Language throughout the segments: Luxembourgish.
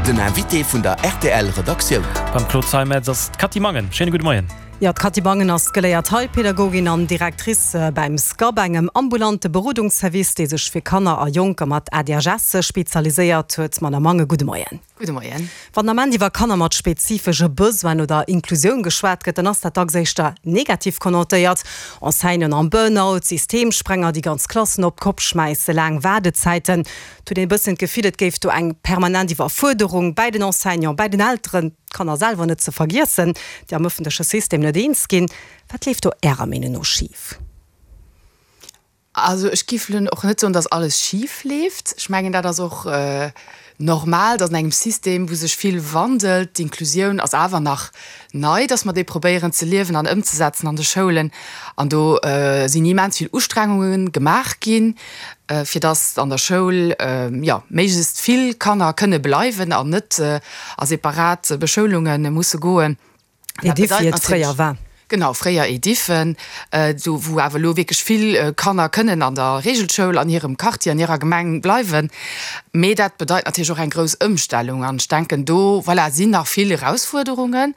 Den Invité vun der rtl Redaktioun. Beim Claude Zeimetz ass d'Cathy Mangen. Schéine gudde Moien. Jo, d'Cathy Mangen ass geléiert Heilpädagogin an Directrice bäim SCAB, engem ambulante Berodungsservice, dee sech fir Kanner a Jonker mat ADHS spezialiséiert huet. Madame Mangen, gudde Moien. Gudde Moien. Wann den Ament iwwer Kanner mat spezifesche Besoinen oder Inklusioun geschwat gëtt, dann ass dat dacks éischter negativ konnotéiert. Enseignanten am Burnout, Systemsprenger, déi ganz Klassen op d'Kopp schmäissen, laang Waardezäiten. Et huet een e bëssen d'Gefill, et géif do eng permanent Iwwerfuerderung bäi den Enseignanten, bäi den Elteren, d'Kanner selwer net ze vergiessen, déi am ëffentleche System net eens ginn. Wat leeft do Ärer Meenung no schif? Also ech giff elo och net soen, datt alles schif leeft. Ech mengen, dat ass och normal, datt an engem System, wou sech vill wandelt, d'Inklusioun ass awer nach nei, datt mer déi probéieren ze liewen an ëmzesetzen an de Schoulen. An do sinn immens vill Ustrengunge gemaach ginn, fir datt an der Schoul, jo, méiglechst vill Kanner kënne bleiwen an net a separat Beschoulunge musse goen. Ediff, wéi et fréier war. Genau, fréier Ediffen, do wou awer elo wierklech vill Kanner kënnen an der Reegelschoul an hirem Quartier, an hirer Gemeng bleiwen. Mee dat bedeit natierlech och eng grouss Ëmstellung an ech denken, do, voilà, sinn nach vill Erausfuerderungen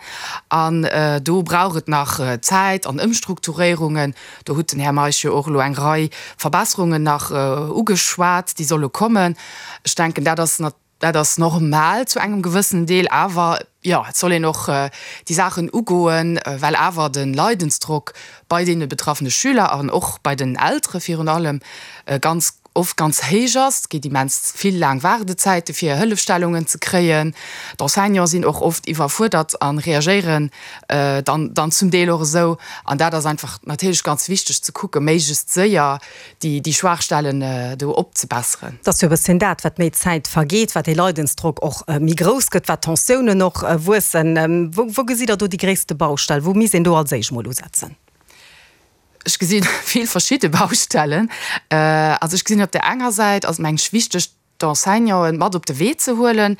an do brauch et nach Zäit an Ëmstrukturéierungen. Do hutt den Här Meisch jo och elo eng Rei Verbesserungen nach ugeschwat, déi solle kommen. Ech denken, dat ass. Dat ass normal zu engem gewëssenen Deel, awer jo, et soll een och déi Saachen ugoen, well awer de Leidensdrock bei deene betraffene Schüler an och bei den Eltere virun allem ganz oft ganz héich ass. Et gétt immens vill laang Waardezäite fir Hëllefstellungen ze kréien. D'Enseignante sinn och oft iwwerfuerdert a reagéieren dann dann zum Deel och esou. An dat ass einfach natierlech ganz wichteg ze kucken, méiglechst séier déi Schwaachstellen do opzebesseren. Et ass jo e bësschen dat, wat méi Zäit vergeet, wat dee Leidensdrock och méi grouss gëtt, wat d'Tensiounen och wuessen. Wou gesitt Der do déi gréisste Baustell? Wou misst een do als éischt mol usetzen? Ech gesi vill verschidde Baustellen. Also ech gesinn op där enger Säit ass et mengen ech wichteg, d'Enseignanten mat op de Wee ze huelen.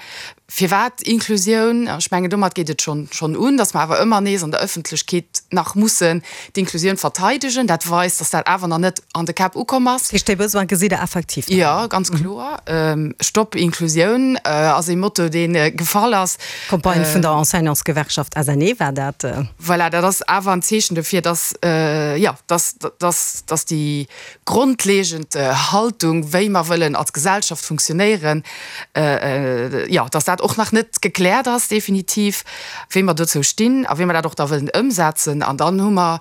Firwat Inklusioun? Ech mengen, domat geet et schonn schonn un, datt mer awer ëmmer nees an der Ëffentlechkeet nach mussen d'Inklusioun verteidegen. Dat weist, datt dat awer nach net an de Käpp ukomm ass. Dat heescht, dee Besoin gesitt Der effektiv nach? Jo, ganz kloer. Stopp Inklusioun ass ee Motto, dee gefall ass. D'Campagne vun der Enseignantsgewerkschaft SNE war dat. Voilà, dat ass awer en Zeechen dofir, datt, jo, datt, datt, datt déi grondlegend Haltung, wéi mer wëllen als Gesellschaft funktionéieren, jo, dass dat och nach net gekläert ass definitiv, wéi mer dozou stinn a wéi mer dat och da wëllen ëmsetzen. An dann hu mer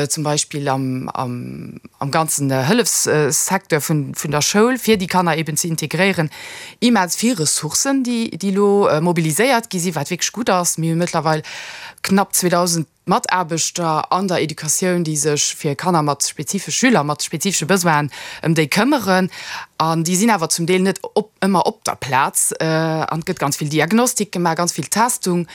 zum Beispill am, am ganzen Hëllefssecteur vun, vun der Schoul, fir déi Kanner eben ze integréieren, immens vill Ressourcen, déi, déi elo mobiliséiert gi sinn, wat wierklech gutt ass. Mir hu mëttlerweil knapp 2.000 Mataarbechter an der Educatioun, déi sech fir Kanner mat spezifesch Schüler mat spezifesche Besoinen ëm déi këmmeren. An déi sinn awer zum Deel net op ëmmer op der Plaz. An et gëtt ganz vill Diagnostik gemaach, ganz vill Testung,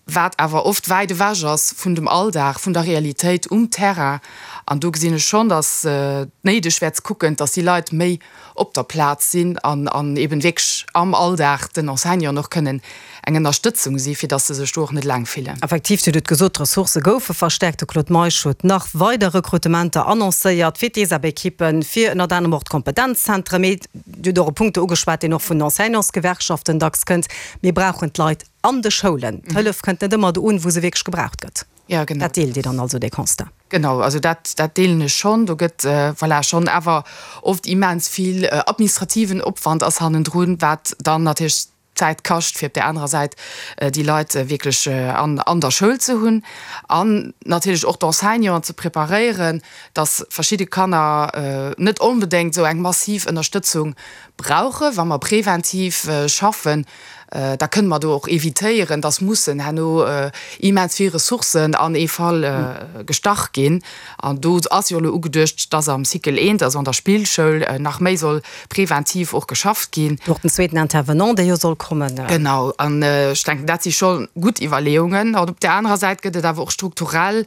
wat awer oft wäit ewech ass vun dem Alldag, vun der Realitéit um Terrain. An do gesinn ech schonn, datt et néideg wär ze kucken, datt déi Leit méi op der Plaz sinn an an eben wierklech am Alldag den Enseignanten och kënnen eng Ënnerstëtzung si fir dass se sech do och net eleng fillen. Effektiv, Dir hutt et gesot, d'Ressourcë goufe verstärkt. De Claude Meisch huet nach weider Rekrutementer annoncéiert fir d'ESAB-Ekippen, fir ënnert anerem och d'Kompetenzzentren. Mee Dir hutt och e Punkt do ugeschwat, deen och vun den Enseignantsgewerkschaften dacks kënnt, Mir brauchen d'Leit an de Schoulen. D'Hëllef kënnt net ëmmer do un, wou se wierklech gebraucht gëtt. Ja, genau. Dat deelt Dir dann also, dee Constat? Genau, also dat, dat deelen ech schonn. Do gëtt, voilà, schonn awer oft immens vill administrativen Opwand ass hannendrun, wat dann natierlech Zäit kascht, fir op där anerer Säit déi Leit wierklech an, an der Schoul ze hunn an natierlech och d'Enseignanten ze preparéieren, dass verschidde Kanner net onbedéngt esou eng massiv Ënnerstëtzung brauchen. Wa mer preventiv schaffen, da kënne mer do och evitéieren, dass mussen herno immens vill Ressourcen an ee Fall gestach ginn. An do ass jo elo ugeduecht, dass am Cycle eent, also an der Spillschoul, nach méi soll preventiv och geschafft ginn. Och den zweeten Intervenant, dee jo soll kommen. Genau. An ech denken, dat si scho gutt Iwwerleeungen. An op där anerer Säit gëtt et awer och strukturell.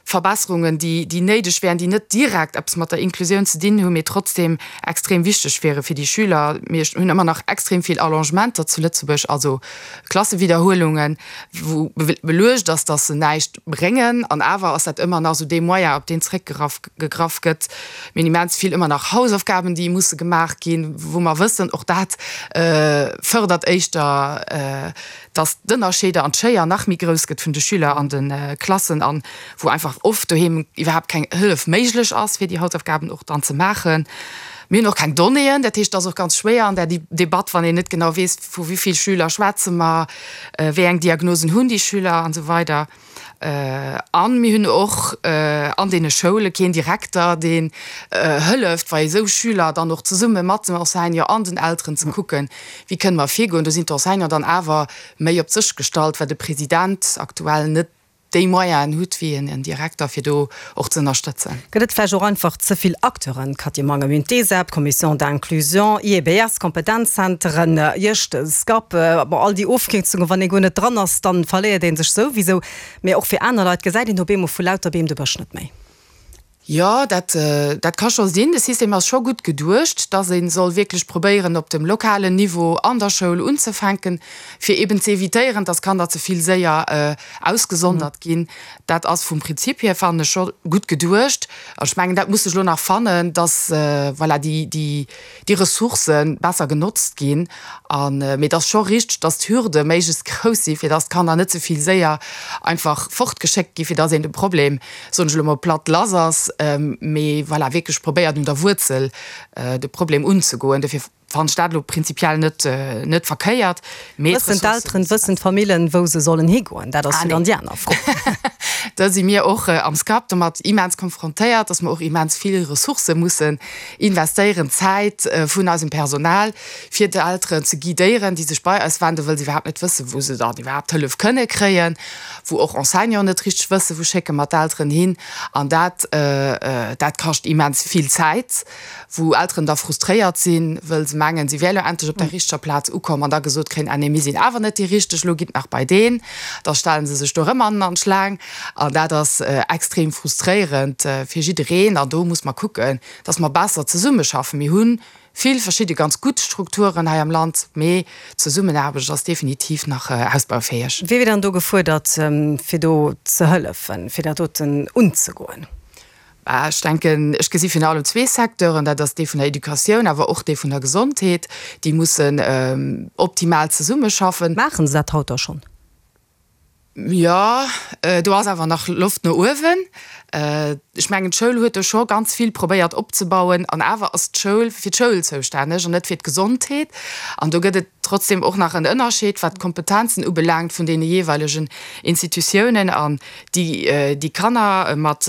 Verbesserungen, déi, déi néideg wären, déi net direkt eppes mat der Inklusioun ze dinn hunn, mee trotzdem extrem wichteg wiere fir déi Schüler. Mir hunn ëmmer nach extrem vill Allongementer zu Lëtzebuerg, also Klassewiderhuelungen, wou beluecht ass, dass se näischt bréngen. An awer ass dat ëmmer nach esou dee Moyen, op deen zréckgegraff gegraff gëtt. Mir hunn immens vill ëmmer nach Hausaufgaben, déi musse gemaach ginn, wou mer wëssen, och dat fërdert éischter, dass d'Ënnerscheeder an d'Schéier nach méi grouss gëtt vun de Schüler an de Klassen an wou einfach oft doheem iwwerhaapt keng Hëllef méiglech ass, fir déi Hausaufgaben och dann ze maachen. Mir hunn och keng Donnéeën, dat heescht, et ass och ganz schwéier an där Debatt, wann een net genau weess, vu wéi vill Schüler schwätze mer, wéi eng Diagnosen hunn déi Schüler an esou weider. A mir hunn och an deene Schoule keen Direkter, deen hëlleft, bei esou Schüler dann och zesumme mat dem Enseignant an den Elteren ze kucken, wéi kënne mer virgoen. Do sinn d'Enseignanten dann awer méi op sech gestallt, well de President aktuell net déi Moyenen hutt wéi en Direkter, fir do och ze ënnerstëtzen. Gëtt et vläicht och einfach ze vill Acteuren, Cathy Mangen, Mir hunn d'ESEP, d'Commission d'inclusion, IEBS, Kompetenzzenteren, Iech, de SCAP, bon, all déi Ofkierzungen, wann ee guer net dran ass, dann verléiert ee sech souwisou. Mee och fir aner Leit gesäit een op eemol vu lauter Beem de Bësch net méi. Jo, dat, dat ka scho sinn. De System ass scho gutt geduecht, dass ee soll wierklech probéieren, op dem lokalen Niveau an der Schoul unzefänken, fir eeben ze evitéieren, dass Kanner ze vill séier ausgesondert ginn. Dat ass vum Prinzip hier, fannen ech, scho gutt geduecht. An ech mengen, dat muss sech elo nach fannen, dass, voilà, déi, déi, déi Ressourcë besser genotzt ginn. An, mee et ass scho richteg, dass d'Hürde méiglechst grouss sinn, fir dass d'Kanner net ze vill séier einfach fortgeschéckt ginn, fir dass een de Problem, soen ech elo mol platt, lass ass, mee voilà, wierklech probéiert un der Wuerzel de Problem unzegoen. Dofir Fannen ech dat elo prinzipiell net net verkéiert, mee Wëssen d'Elteren, wëssen d'Famillen, wou se sollen higoen? Dat ass jo dann déi aner Fro. Da si mir och am SCAP domat immens konfrontéiert, dass mer och immens vill Ressourcë mussen investéieren, Zäit vun eisem Personal, fir d'Elteren ze guidéieren, déi sech bei eis wenden, wëll se iwwerhaapt net wëssen, wou se dann iwwerhaapt Hëllef kënne kréien, wou och Enseignanten net richteg wëssen, wou schécke mer d'Elteren hin. An dat dat kascht immens vill Zäit. wou Elteren da frustréiert sinn, wëll se mengen, si wär lo endlech op der richteger Plaz ukomm an da gesot kréien, ah nee, mir sinn awer net déi richteg, lo gitt nach bei deen. Da stelle se sech do erëm an an d'Schlaang an dat ass extrem frustréierend fir jiddereen. An do muss mer kucken, dass mer besser zesummeschaffen. Mir hu vill verschidde ganz gutt Strukturen hei am Land, mee d'Zesummenaarbecht ass definitiv nach ausbaufäeg. Wie wier dann do gefuerdert, fir do ze hëllefen, fir dat doten unzegoen? Ech denken, ech gesi virun allem zwee Secteuren, dat ass dee vun der Educatioun, awer och dee vun der Gesondheet, déi mussen optimal zesummeschaffen. Maachen se dat haut da schonn? Jo, do ass awer nach Loft no uewen. Ech mengen, d'Schoul huet do scho ganz vill probéiert opzebauen. An awer ass d'Schoul fir d'Schoul zoustänneg an net fir d'Gesondheet. An do gëtt et trotzdem och nach en Ënnerscheed, wat d'Kompetenzen ubelaangt vun deene jeeweilegen Institutiounen. An Déi Kanner mat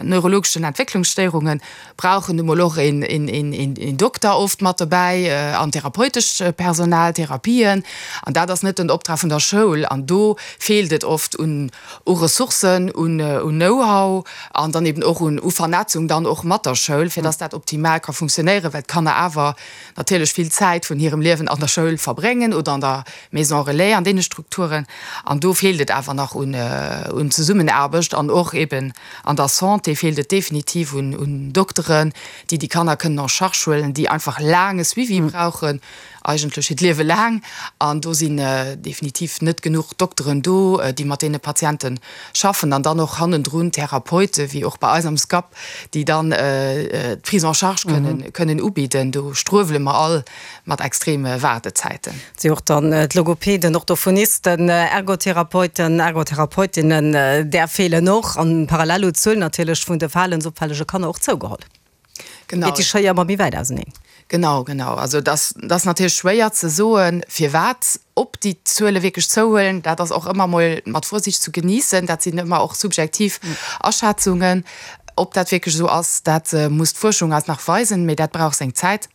neurologeschen Entwécklungsstéierunge brauchen nu mol och een Dokter oft mat dobäi an therapeutescht Personal, Therapien. An dat ass net den Optrag vun der Schoul. An do feelt et oft un Ressourcen, un Know-how an dann eben och un Vernetzung dann och mat der Schoul, fir dass dat optimal ka funktionéieren, well d'Kanner awer natierlech vill Zäit vun hirem Liewen an der Schoul verbréngen oder an der Maison relais, an deene Strukturen. An do feelt et awer nach un Zesummenaarbecht an och eben an der Santé feelt et definitiv un Dokteren, déi déi Kanner kënnen en charge huelen, déi einfach laang e Suivi brauchen, eigentlech hiert Liewe laang. An do sinn definitiv net genuch Dokteren do, déi mat deene Patiente schaffen. An dann och hannendrun Therapeute wéi och bei eis am SCAP, déi dann d'Prise en charge kënnen ubidden. Do struewele mer all mat extreme Waardezäiten. Et si och dann d'Logopäden, Orthophonisten, Ergotherapeuten, Ergotherapeutinnen, där feelen och. An parallel huet d'Zuel natierlech vun de verhalensopfällege Kanner och zougeholl. Genau. Geet déi Schéier ëmmer méi wäit auseneen. Genau, genau. Also et ass, et ass natierlech schwéier ze soen, firwat, ob déi Zuele wierklech zouhuelen. Dat ass och ëmmer emol mat Vorsicht zu genießen. Dat sinn ëmmer och subjektiv Aschätzungen. Ob dat wierklech esou ass, dat muss d'Fuerschung eis nach weisen, mee dat brauch seng Zäit.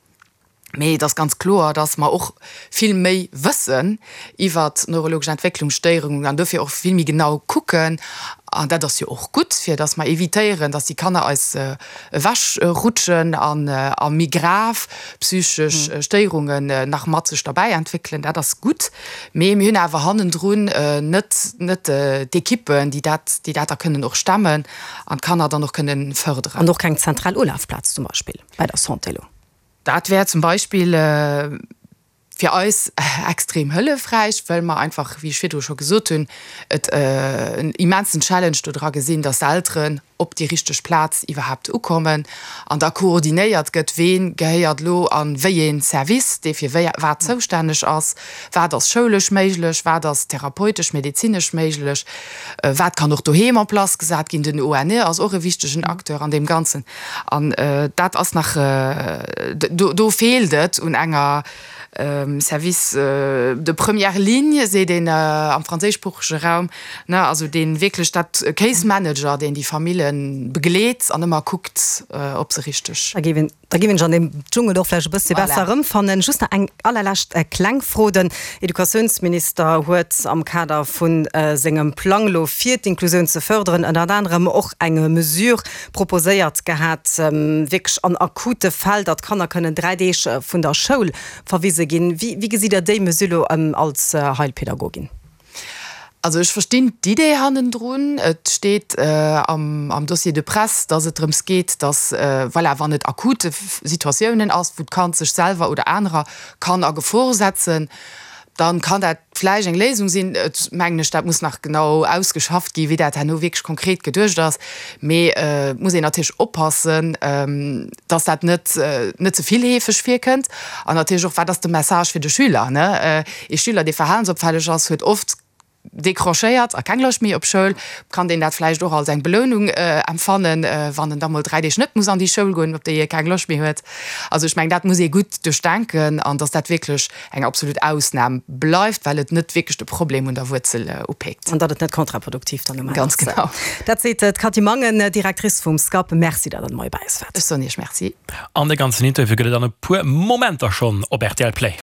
Mee et ass ganz kloer, dass mer och vill méi wëssen iwwert neurologesch Entwécklungsstéierungen an dofir och vill méi genau kucken. An dat ass jo och gutt, fir datt mer evitéieren, datt déi Kanner eis ewechrutschen an a méi grav psychesch Stéierungen nach mat sech derbäi entwéckelen. Dat ass gutt. Mee mir hunn awer hannendrun net net d'Ekippen, déi dat déi dat da kënnen och stemmen an d'Kanner dann och kënnen fërderen. An och keng zentral Ulafplaz zum Beispill bei der Santé elo. Dat wär zum Beispill. Fir eis extrem hëllefräich, well mer einfach, wéi ech virdru scho gesot hunn, et en immensen Challenge do dra gesinn, dass d'Elteren op déi richteg Plaz iwwerhaapt ukommen an da koordinéiert gëtt, ween gehéiert elo a wéi ee Service, dee fir wéi wat zoustänneg ass, wat ass schoulesch méiglech, wat ass therapeutesch, medezinesch méiglech, wat kann och doheem en place gesat ginn. Den ONE ass och e wichtegen Acteur an deem Ganzen. An dat ass nach, do feelt et un enger Service de première ligne, seet een am franséischsproochege Raum, ne, also dee wierklech dat Case Manager, deen déi Famille begleet an ëmmer kuckt, ob se richteg. Da géif een, da géif een sech an deem Dschungel och vläicht e bëssche besser erëmfannen. Just nach eng allerlescht kleng Fro, Den Educatiounsminister huet am Kader vu sengem Plang elo fir d'Inklusioun ze fërderen ënnert anerem och eng Mesure proposéiert gehat, wierklech an akute Fäll, datt d'Kanner kënnen 3 Deeg vun der Schoul verwise ginn. Wéi gesitt Der déi Mesure elo als Heilpädagogin? Also ech verstinn d'Idee hannendrun. Et steet am Dossier de presse, datt et drëms geet, datt, voilà, wann et akute Situatiounen ass, wou d'Kand sech selwer oder anerer kann a Gefor setzen, dann kann dat vläicht eng Léisung sinn. Et mengen ech, dat muss nach genau ausgeschafft ginn, wéi dat herno wierklech konkret geduecht ass. Mee et muss een natierlech oppassen, dass dat net net ze vill heefeg virkënnt. An natierlech och, wat ass de Message fir de Schüler, ne? Ee Schüler, dee verhalensopfälleg ass, huet oft décrochéiert a keng Loscht méi op Schoul. Kann deen dat vläicht och als eng Belounung empfannen, wann en da mol 3 Deeg net muss an déi Schoul goen, op déi e keng Loscht méi huet? Also ech mengen, dat muss ee gutt duerchdenken an dass dat wierklech eng absolut Ausnam bleift, well et net wierklech de Problem un der Wuerzel upeekt. An datt et net kontraproduktiv dann um Enn ass. Ganz genau. Dat seet d'Cathy Mangen, Directrice vum SCAP. Merci, datt Der de Moie bei eis waart. Ech soen Iech Merci. An de ganzen Interview gëtt et an e puer Momenter schonn op rtl Play.